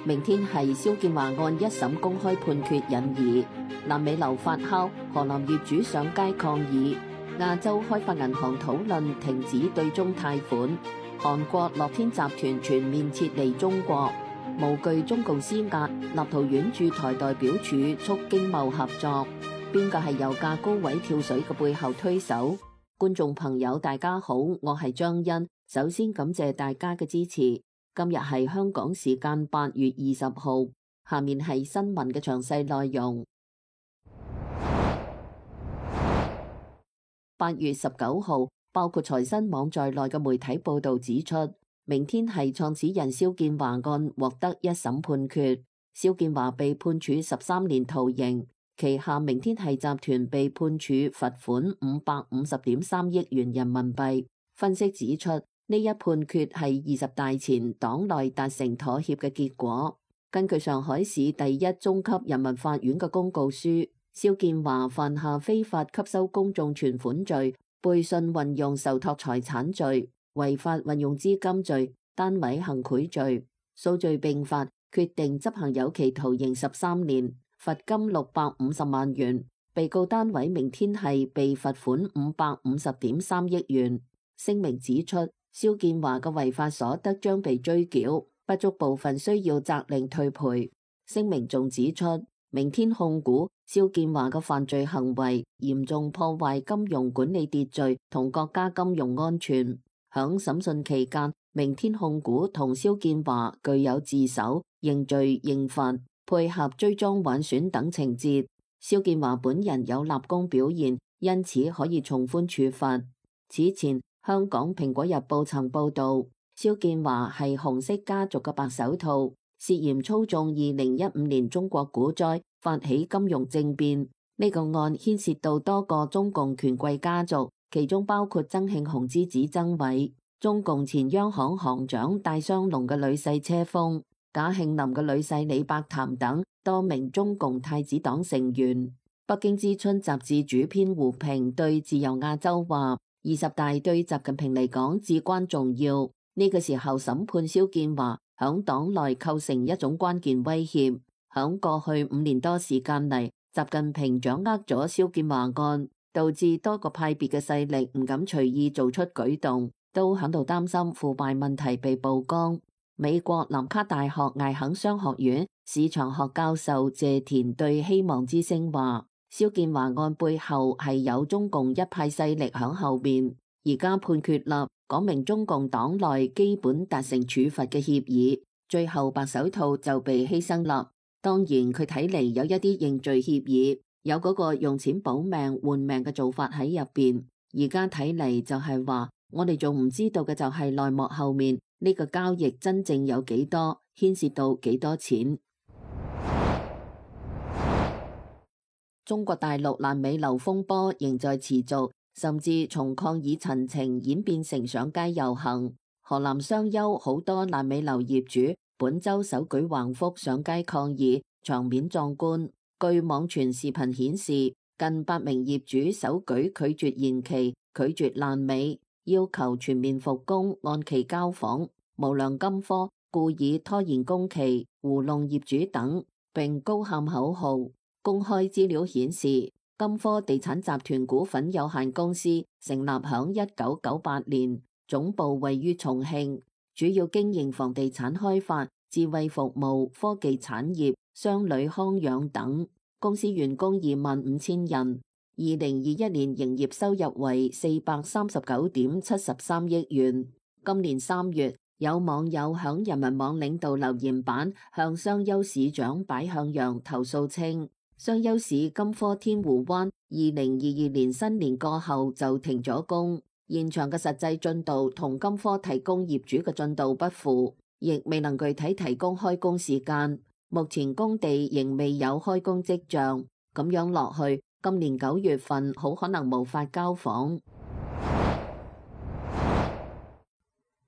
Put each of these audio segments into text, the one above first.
明天係肖建華案一審公開判決引疑，爛尾樓發酵，河南業主上街抗議，亞洲開發銀行討論停止對中貸款，韓國樂天集團全面撤離中國，無懼中共施壓，立陶宛駐台代表處促經貿合作，邊個係油價高位跳水嘅背後推手？觀眾朋友大家好，我係張欣，首先感謝大家嘅支持。今日係香港時間8月20號，下面係新聞嘅詳細內容。8月19號，包括財新網在內嘅媒體報導指出，明天係創始人肖建華案獲得一審判決，肖建華被判處13年徒刑，旗下明天係集團被判處罰款550.3億元人民幣。分析指出，呢一判決係20大前黨內達成妥協嘅結果。根據上海市第一中級人民法院嘅公告書，肖建華犯下非法吸收公眾存款罪、背信運用受託財產罪、違法運用資金罪、單位行賄罪，數罪並罰，決定執行有期徒刑13年，罰金650萬元。被告單位明天係被罰款550.3億元。聲明指出，肖建華嘅違法所得將被追繳，不足部分需要責令退賠。聲明仲指出，明天控股肖建華嘅犯罪行為嚴重破壞金融管理秩序同國家金融安全。響審訊期間，明天控股同肖建華具有自首、認罪認罰、配合追贓挽損等情節。肖建華本人有立功表現，因此可以從寬處罰。此前，香港蘋果日報曾報道，肖建華係紅色家族嘅白手套，涉嫌操縱2015年中國股災，發起金融政變。呢個案牽涉到多個中共權貴家族，其中包括曾慶紅之子曾偉、中共前央行行長戴相龍嘅女婿車鋒、賈慶林嘅女婿李伯潭等多名中共太子黨成員。北京之春雜誌主編胡平對自由亞洲話：20大對習近平嚟講至關重要，呢個時候審判肖建華響黨內構成一種關鍵威脅。響過去5年多時間嚟，習近平掌握咗肖建華案，導致多個派別嘅勢力唔敢隨意做出舉動，都響度擔心腐敗問題被曝光。美國南卡大學艾肯商學院市場學教授謝田對希望之聲話：肖建華案背後係有中共一派勢力響後面，而家判決啦，講明中共黨內基本達成處罰嘅協議，最後白手套就被犧牲啦。當然佢睇嚟有一啲認罪協議，有嗰個用錢保命換命嘅做法喺入邊。而家睇嚟就係話，我哋仲唔知道嘅就係內幕後面呢個交易真正有幾多，牽涉到幾多錢。中國大陸爛尾樓風波仍在持續，甚至從抗議陳情演變成上街遊行。河南商丘好多爛尾樓業主本周手舉橫幅上街抗議，場面壯觀。據網傳視頻顯示，近100名業主手舉拒絕延期、拒絕爛尾，要求全面復工、按期交房、無良金科、故意拖延工期、糊弄業主等，並高喊口號。公開資料顯示，金科地產集團股份有限公司成立響1998年，總部位於重慶，主要經營房地產開發、智慧服務、科技產業、商旅康養等。公司員工25,000人，2021年營業收入為439.73億元。今年3月，有網友響人民網領導留言板向商丘市長擺向陽投訴稱，商丘市金科天湖灣2022年新年過後就停咗工，現場嘅實際進度同金科提供業主嘅進度不符，亦未能具體提供開工時間。目前工地仍未有開工跡象，咁樣落去，今年9月份好可能無法交房。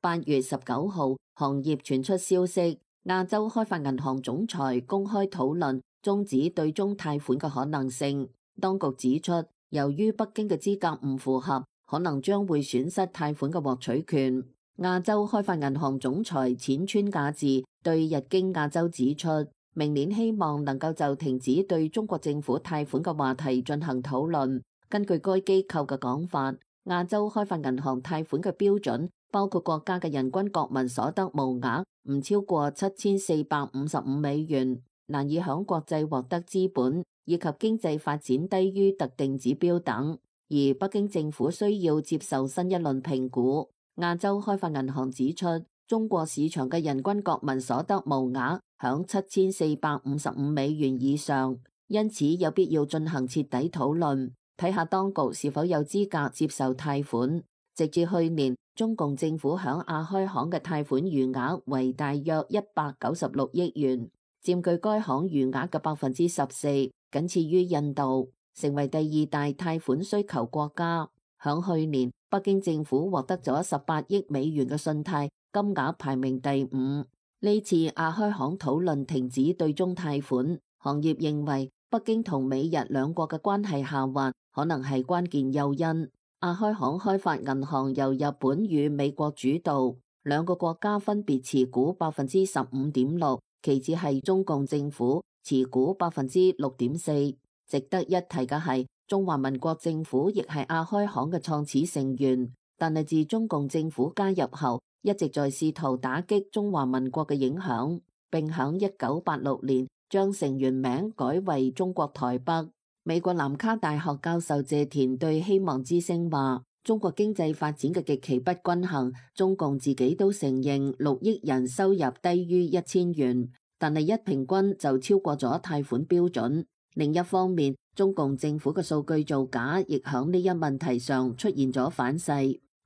8月19號，行業傳出消息，亞洲開發銀行總裁公開討論終止對中貸款嘅可能性。當局指出，由於北京嘅資格唔符合，可能將會損失貸款嘅獲取權。亞洲開發銀行總裁淺川雅治對日經亞洲指出，明年希望能夠就停止對中國政府貸款嘅話題進行討論。根據該機構嘅講法，亞洲開發銀行貸款嘅標準包括國家嘅人均國民所得無額唔超過$7455，難以響國際獲得資本，以及經濟發展低於特定指標等。而北京政府需要接受新一輪評估。亞洲開發銀行指出，中國市場嘅人均國民所得無額響$7455以上，因此有必要進行徹底討論，睇下當局是否有資格接受貸款。直至去年，中共政府響亞開行嘅貸款餘額為大約196億元，佔據該行餘額嘅14%，僅次於印度，成為第二大貸款需求國家。響去年，北京政府獲得咗18億美元嘅信貸，金額排名第5。呢次亞開行討論停止對中貸款，行業認為北京同美日兩國嘅關係下滑可能係關鍵誘因。亞開行開發銀行由日本與美國主導，兩個國家分別持股15.6%，其次係中共政府持股6.4%。值得一提嘅係，中華民國政府亦係亞開行嘅創始成員，但係自中共政府加入後，一直在試圖打擊中華民國嘅影響，並響1986年將成員名改為中國台北。美國南卡大學教授謝田對希望之聲話，中國經濟發展嘅極其不均衡，中共自己都承認6億人收入低於1000元，但係一平均就超過咗貸款標準。另一方面，中共政府嘅數據造假亦響呢一問題上出現咗反噬。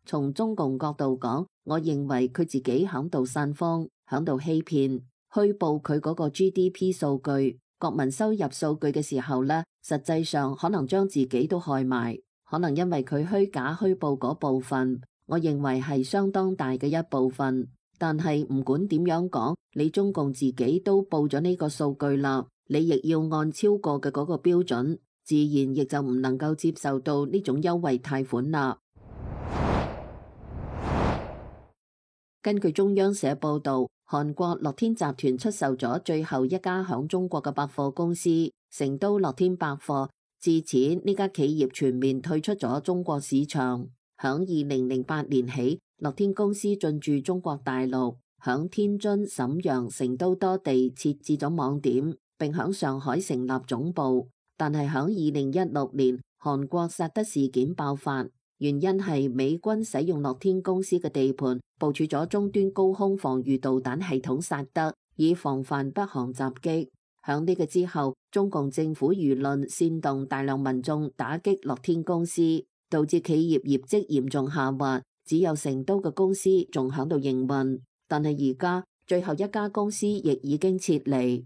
從中共角度講，我認為佢自己響度散謊，響度欺騙，虛報佢嗰個 GDP 數據、國民收入數據嘅時候呢，實際上可能將自己都害埋。可能因為佢虛假虛報嗰部分，我認為係相當大嘅一部分。但係唔管點樣講，你中共自己都報咗呢個數據啦，你亦要按超過嘅嗰個標準，自然亦就唔能夠接受到呢種優惠貸款啦。根據中央社報導，韓國樂天集團出售咗最後一家響中國嘅百貨公司成都樂天百貨，自此呢家企業全面退出咗中國市場。響2008年起，樂天公司進駐中國大陸，響天津、瀋陽、成都多地設置咗網點，並響上海成立總部。但係響2016年，韓國薩德事件爆發。原因係美軍使用樂天公司嘅地盤部署咗中端高空防禦導彈系統薩德，以防範北韓襲擊。響呢個之後，中共政府輿論煽動大量民眾打擊樂天公司，導致企業業績嚴重下滑，只有成都嘅公司仲響度營運。但係而家最後一家公司亦已經撤離。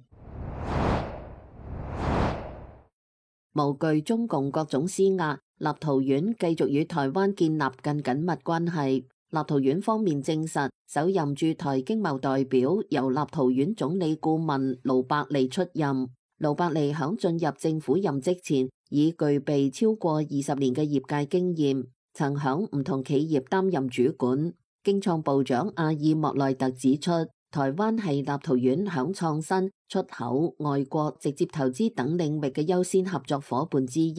無懼中共各種施壓，立陶宛繼續與台灣建立更緊密關係。立陶宛方面證實，首任駐台經貿代表由立陶宛總理顧問盧伯利出任。盧伯利響進入政府任職前，已具備超過20年嘅業界經驗，曾響唔同企業擔任主管。經創部長阿爾莫內特指出，台灣係立陶宛響創新、出口、外國直接投資等領域嘅優先合作夥伴之一。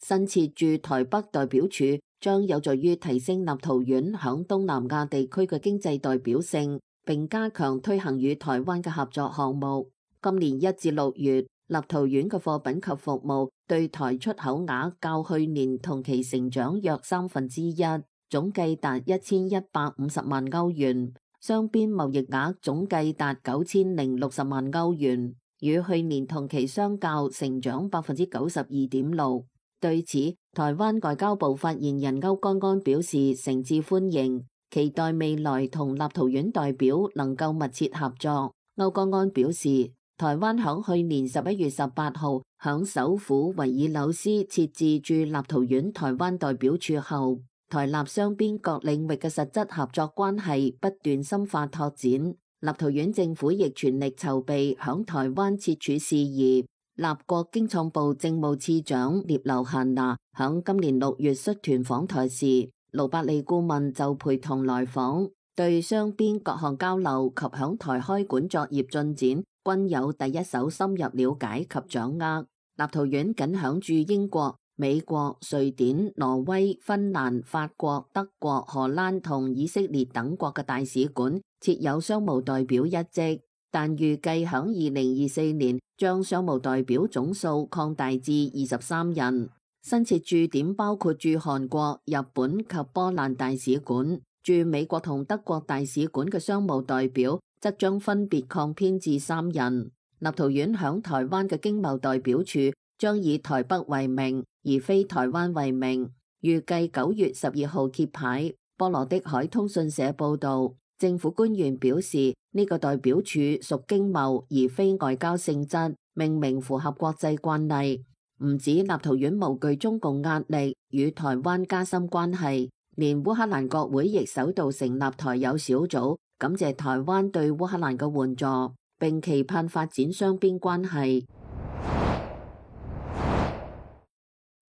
新設駐台北代表處將有助於提升立陶宛響東南亞地區嘅經濟代表性，並加強推行與台灣嘅合作項目。今年1至6月，立陶宛嘅貨品及服務對台出口額較去年同期成長約1/3，總計達1150萬歐元。雙邊貿易額總計達9060萬歐元，與去年同期相較成長92.6%。對此，台灣外交部發言人歐江安表示誠摯歡迎，期待未來同立陶宛代表能夠密切合作。歐江安表示，台灣響去年11月18號響首府維爾紐斯設置駐立陶宛台灣代表處後，台立雙邊各領域嘅實質合作關係不斷深化拓展，立陶宛政府亦全力籌備響台灣設處事宜。立國經創部政務次長聶留閒娜響今年6月率團訪台時，盧伯利顧問就陪同來訪。對雙邊各項交流及響台開館作業進展均有第一手深入了解及掌握。立陶宛僅響駐英國、美國、瑞典、挪威、芬蘭、法國、德國、荷蘭同以色列等國嘅大使館設有商務代表一職，但預計響2024年將商務代表總數擴大至23人。新設駐點包括駐韓國、日本及波蘭大使館，駐美國同德國大使館嘅商務代表則將分別擴編至3人。立陶宛響台灣嘅經貿代表處將以台北為名，而非台灣為名，預計9月12號揭牌。波羅的海通訊社報導，政府官員表示呢個代表處屬經貿而非外交性質，命名符合國際慣例。唔止立陶宛無懼中共壓力，與台灣加深關係，連烏克蘭國會亦首度成立台友小組，感謝台灣對烏克蘭嘅援助，並期盼發展雙邊關係。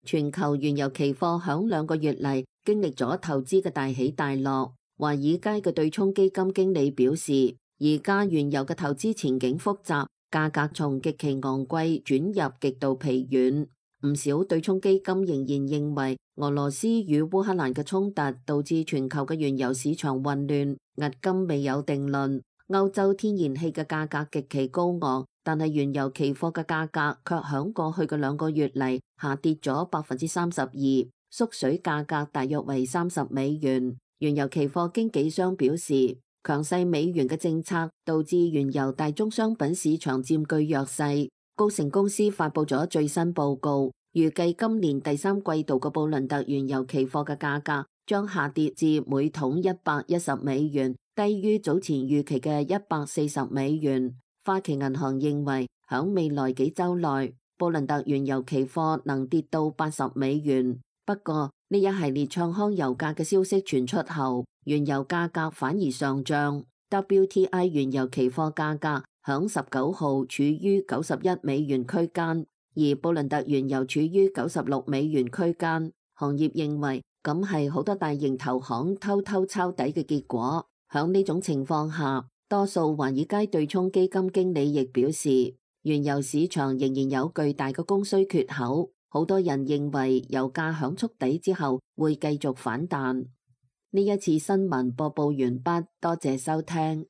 全球原油期貨響2個月嚟經歷咗投資嘅大起大落。華爾街嘅對沖基金經理表示，而家原油嘅投資前景複雜，價格從極其昂貴轉入極度疲軟。唔少對沖基金仍然認為俄羅斯與烏克蘭嘅衝突導致全球嘅原油市場混亂，迄今未有定論。歐洲天然氣嘅價格極其高昂，但係原油期貨嘅價格卻響過去嘅2個月嚟下跌咗32%，縮水價格大約為30美元。原油期貨經紀商表示，強勢美元嘅政策導致原油大宗商品市場佔據弱勢。高盛公司發佈咗最新報告，預計今年第3季度嘅布倫特原油期貨嘅價格將下跌至每桶110美元，低於早前預期嘅140美元。花旗銀行認為，響未來幾週內，布倫特原油期貨能跌到80美元。不過，呢一系列唱康油價嘅消息傳出後，原油價格反而上漲。WTI 原油期貨價格響19號處於91美元區間，而布倫特原油處於96美元區間。行業認為咁係好多大型投行偷偷抄底嘅結果。響呢種情況下，多數華爾街對沖基金經理亦表示，原油市場仍然有巨大嘅供需缺口。好多人認為油價響觸底之後會繼續反彈。呢一次新聞播報完畢，多謝收聽。